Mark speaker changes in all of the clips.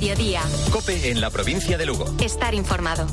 Speaker 1: Mediodía.
Speaker 2: COPE en la provincia de Lugo.
Speaker 1: Estar informado.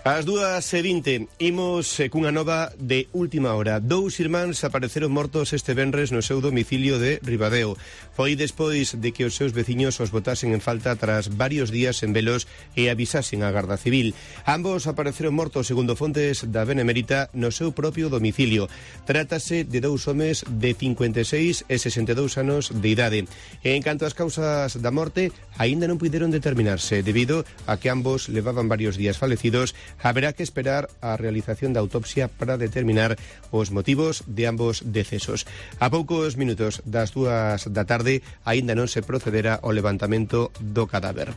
Speaker 3: Ás 2:20, imos cunha nova de última hora. 2 irmáns apareceron mortos este venres no seu domicilio de Ribadeo. Foi despois de que os seus veciños os botasen en falta tras varios días en velos e avisasen a Garda Civil. Ambos apareceron mortos, segundo fontes da Benemérita, no seu propio domicilio. Trátase de 2 homes de 56 e 62 anos de idade. En canto ás causas da morte, aínda non puideron determinarse, debido a que ambos levaban varios días falecidos. Haberá que esperar a realización da autopsia para determinar os motivos de ambos decesos. A poucos minutos das 2 da tarde aínda non se procederá ao levantamento do cadáver.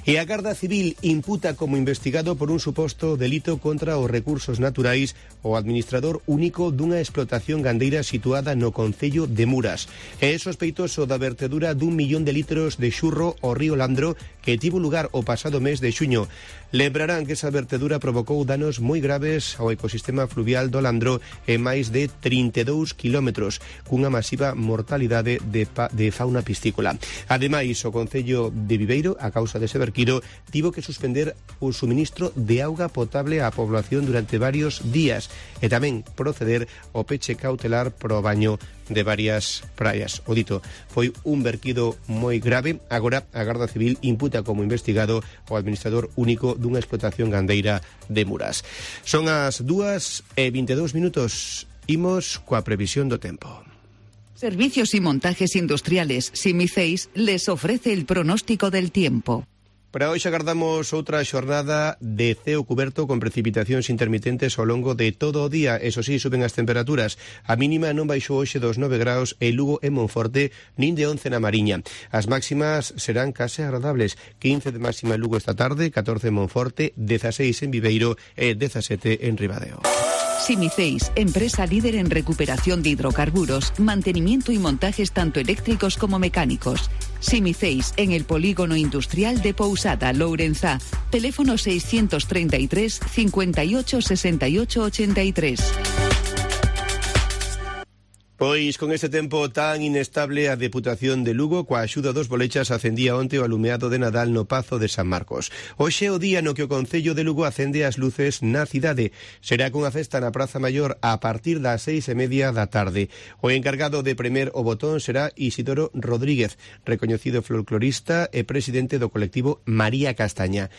Speaker 3: E a Garda Civil imputa como investigado por un suposto delito contra os recursos naturais o administrador único dunha explotación gandeira situada no concello de Muras. É sospeitoso da vertedura dun 1 millón de litros de xurro ao río Landro que tivo lugar o pasado mes de xuño. Lembrarán que esa vertedura provocou danos moi graves ao ecosistema fluvial do Landro en máis de 32 kilómetros, cunha masiva mortalidade de fauna piscícola. Ademais, o Concello de Viveiro, a causa dese verquido, tivo que suspender o suministro de auga potable á población durante varios días e tamén proceder ao peche cautelar pro baño de varias praias. O dito, foi un verquido moi grave. Agora a Garda Civil imputa como investigado o administrador único dunha explotación gandeira de Muras. Son as 2:22. Imos coa previsión do tempo.
Speaker 4: Servicios y montajes industriales Simiceis les ofrece el pronóstico del tiempo.
Speaker 3: Para hoxe agardamos outra xornada de ceo cuberto con precipitacións intermitentes ao longo de todo o día. Eso sí, suben as temperaturas. A mínima non baixou hoxe dos 9 graus en Lugo e Monforte, nin de 11 na Mariña. As máximas serán case agradables. 15 de máxima en Lugo esta tarde, 14 en Monforte, 16 en Viveiro e 17 en Ribadeo.
Speaker 4: Simiceis, empresa líder en recuperación de hidrocarburos, mantenimiento y montajes tanto eléctricos como mecánicos. Simiceis, en el polígono industrial de Pousada, Lourenzá. Teléfono 633 58 68 83.
Speaker 3: Pois con este tempo tan inestable, a Deputación de Lugo, coa axuda dos bolechas, acendía onte o alumeado de Nadal no Pazo de San Marcos. Hoxe é o día no que o Concello de Lugo acende as luces na cidade. Será cunha festa na Praza Maior a partir das 6:30 da tarde. O encargado de premer o botón será Isidoro Rodríguez, recoñecido folclorista e presidente do colectivo María Castaña.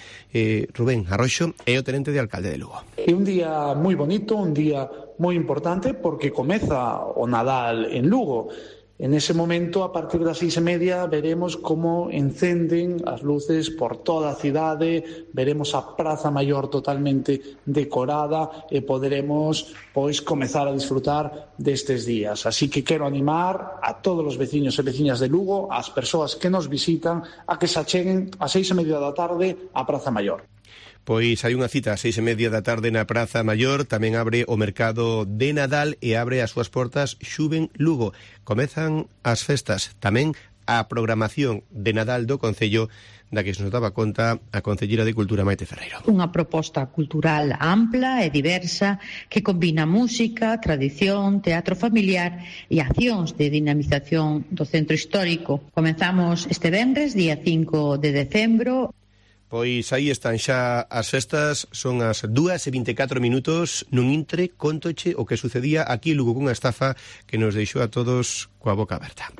Speaker 3: Rubén Arroxo é o tenente de alcalde de Lugo.
Speaker 5: É un día moi bonito, un día moi importante porque comeza o Nadal en Lugo. En ese momento, a partir das 6:30, veremos como encenden as luces por toda a cidade, veremos a Praza Maior totalmente decorada e poderemos comezar a disfrutar destes días. Así que quero animar a todos os veciños e veciñas de Lugo, ás persoas que nos visitan, a que se acheguen a 6:30 da tarde á Praza Maior.
Speaker 3: Pois hai unha cita a 6:30 da tarde na Praza Maior. Tamén abre o mercado de Nadal e abre as súas portas Xuven Lugo. Comezan as festas, tamén a programación de Nadal do Concello, da que se nos daba conta a Concellera de Cultura Maite Ferreiro.
Speaker 6: Unha proposta cultural ampla e diversa que combina música, tradición, teatro familiar e accións de dinamización do centro histórico. Comenzamos este venres, día 5 de decembro.
Speaker 3: Pois aí están xa as festas, son as 2:24. Nun intre, contoche o que sucedía aquí en Lugo cunha estafa que nos deixou a todos coa boca aberta.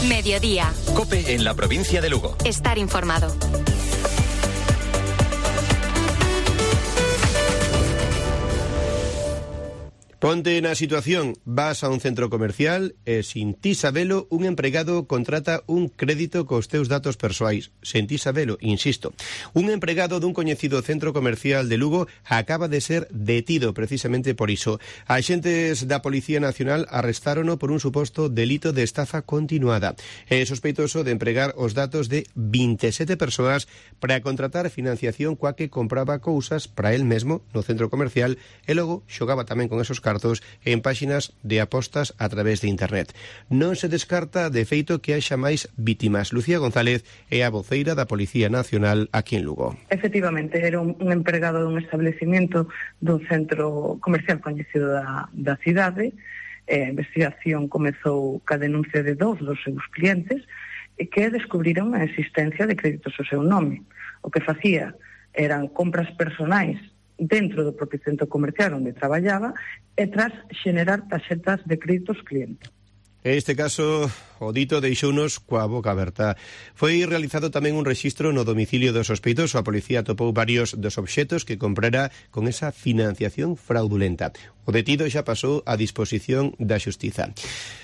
Speaker 1: Mediodía.
Speaker 2: COPE en la provincia de Lugo.
Speaker 1: Estar informado.
Speaker 3: Ponte na situación, vas a un centro comercial e sin ti sabelo, un empregado contrata un crédito cos teus datos persoais. Sen ti sabelo, insisto. Un empregado dun coñecido centro comercial de Lugo acaba de ser detido precisamente por iso. Axentes da Policía Nacional arrestárono por un suposto delito de estafa continuada. É sospeitoso de empregar os datos de 27 persoas para contratar financiación coa que compraba cousas para el mesmo no centro comercial e logo xogaba tamén con esos cartos cartos en páxinas de apostas a través de internet. Non se descarta, de feito, que haxa máis vítimas. Lucía González é a voceira da Policía Nacional aquí en Lugo.
Speaker 7: Efectivamente, era un empregado dun establecimento dun centro comercial coñecido da cidade. A investigación comezou ca denuncia de 2 dos seus clientes que descubriron a existencia de créditos ao seu nome. O que facía eran compras personais dentro do propio centro comercial onde traballaba e tras xenerar tarxetas de créditos clientes.
Speaker 3: Este caso, o dito deixounos coa boca aberta. Foi realizado tamén un rexistro no domicilio do sospeitoso. A policía atopou varios dos obxetos que comprara con esa financiación fraudulenta. O detido xa pasou a disposición da xustiza.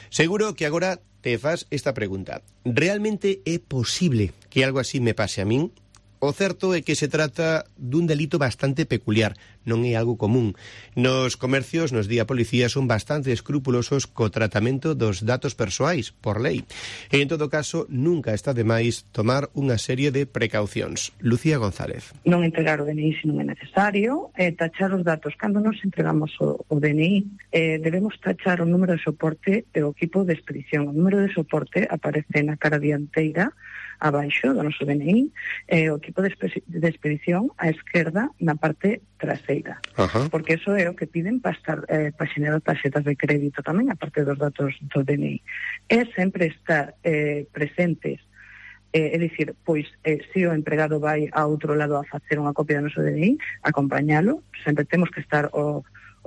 Speaker 3: Seguro que agora te fas esta pregunta. Realmente é posible que algo así me pase a min? O certo é que se trata dun delito bastante peculiar, non é algo común. Nos comercios, nos di a policía, son bastante escrupulosos co tratamento dos datos persoais, por lei. E, en todo caso, nunca está de máis tomar unha serie de precaucións. Lucía González.
Speaker 7: Non entregar o DNI se non é necesario, tachar os datos. Cando nos entregamos o DNI, debemos tachar o número de soporte e o equipo de expedición. O número de soporte aparece na cara dianteira, abaixo do noso DNI, o equipo de expedición á esquerda na parte traseira. Porque eso é o que piden para xenerar tarxetas de crédito tamén, a parte dos datos do DNI. É sempre estar presentes, é dicir, pois, se o empregado vai a outro lado a facer unha copia do noso DNI, acompañalo, sempre temos que estar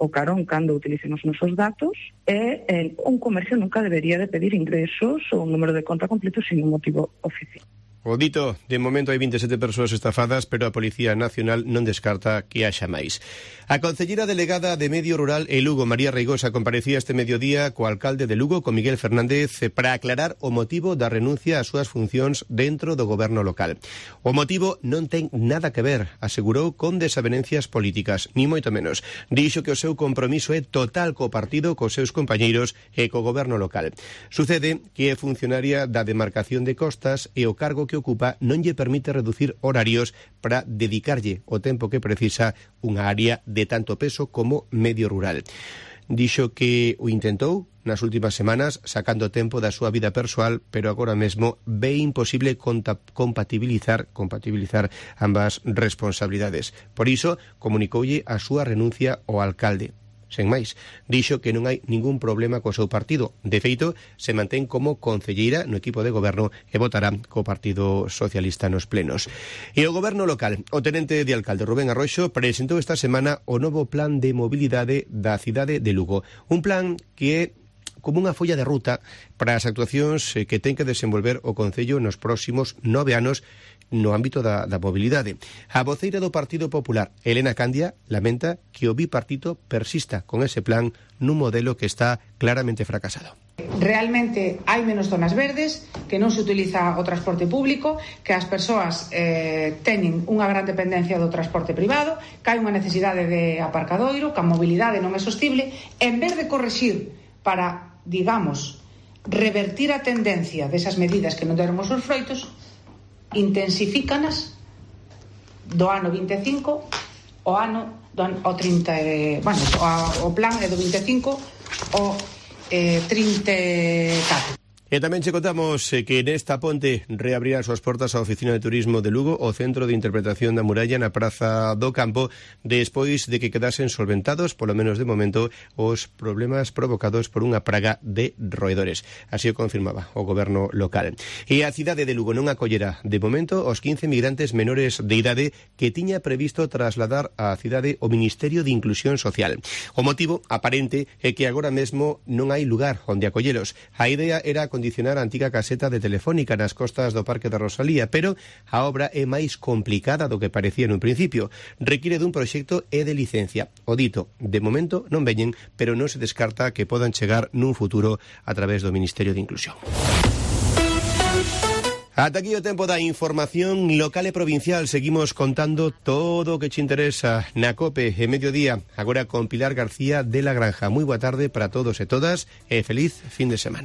Speaker 7: o carón cando utilicemos nosos datos, e un comercio nunca debería de pedir ingresos ou un número de conta completo sin un motivo oficial.
Speaker 3: O dito, de momento hai 27 persoas estafadas, pero a Policía Nacional non descarta que haxa máis. A concelleira delegada de Medio Rural e Lugo, María Reigosa, comparecía este mediodía co alcalde de Lugo, con Miguel Fernández, para aclarar o motivo da renuncia ás súas funcións dentro do goberno local. O motivo non ten nada que ver, asegurou, con desavenencias políticas, ni moito menos. Dixo que o seu compromiso é total co partido, cos seus compañeiros e co goberno local. Sucede que é funcionaria da demarcación de costas e o cargo que ocupa non lle permite reducir horarios para dedicarlle o tempo que precisa unha área de tanto peso como medio rural. Dixo que o intentou nas últimas semanas sacando tempo da súa vida persoal, pero agora mesmo ve imposible compatibilizar ambas responsabilidades. Por iso comunicoulle a súa renuncia ao alcalde. Sen máis, dixo que non hai ningún problema co seu partido. De feito, se mantén como concelleira no equipo de goberno e votará co Partido Socialista nos plenos. E o goberno local, o tenente de alcalde Rubén Arroxo, presentou esta semana o novo plan de mobilidade da cidade de Lugo. Un plan que é como unha folla de ruta para as actuacións que ten que desenvolver o Concello nos próximos 9 anos no ámbito da mobilidade. A voceira do Partido Popular, Elena Candia, lamenta que o bipartito persista con ese plan nun modelo que está claramente fracasado.
Speaker 8: Realmente hai menos zonas verdes, que non se utiliza o transporte público, que as persoas teñen unha gran dependencia do transporte privado, que hai unha necesidade de aparcadoiro, que a mobilidade non é sostible. En vez de corrixir para, digamos, revertir a tendencia desas medidas que non deron os seus froitos, intensifícanas do ano 25 o plan é do 25 ao 34.
Speaker 3: E tamén che contamos que nesta ponte reabrirá as súas portas a Oficina de Turismo de Lugo, o Centro de Interpretación da Muralla na Praza do Campo, despois de que quedasen solventados, polo menos de momento, os problemas provocados por unha praga de roedores. Así o confirmaba o goberno local. E a cidade de Lugo non acollerá, de momento, os 15 migrantes menores de idade que tiña previsto trasladar á cidade o Ministerio de Inclusión Social. O motivo aparente é que agora mesmo non hai lugar onde acollelos. A idea era condicionar a antiga caseta de Telefónica nas costas do Parque da Rosalía, pero a obra é máis complicada do que parecía nun principio. Require dun proxecto e de licencia. O dito, de momento non veñen, pero non se descarta que podan chegar nun futuro a través do Ministerio de Inclusión. Ata aquí o tempo da información local e provincial. Seguimos contando todo o que te interesa na COPE e Mediodía. Agora con Pilar García de la Granja. Moi boa tarde para todos e todas e feliz fin de semana.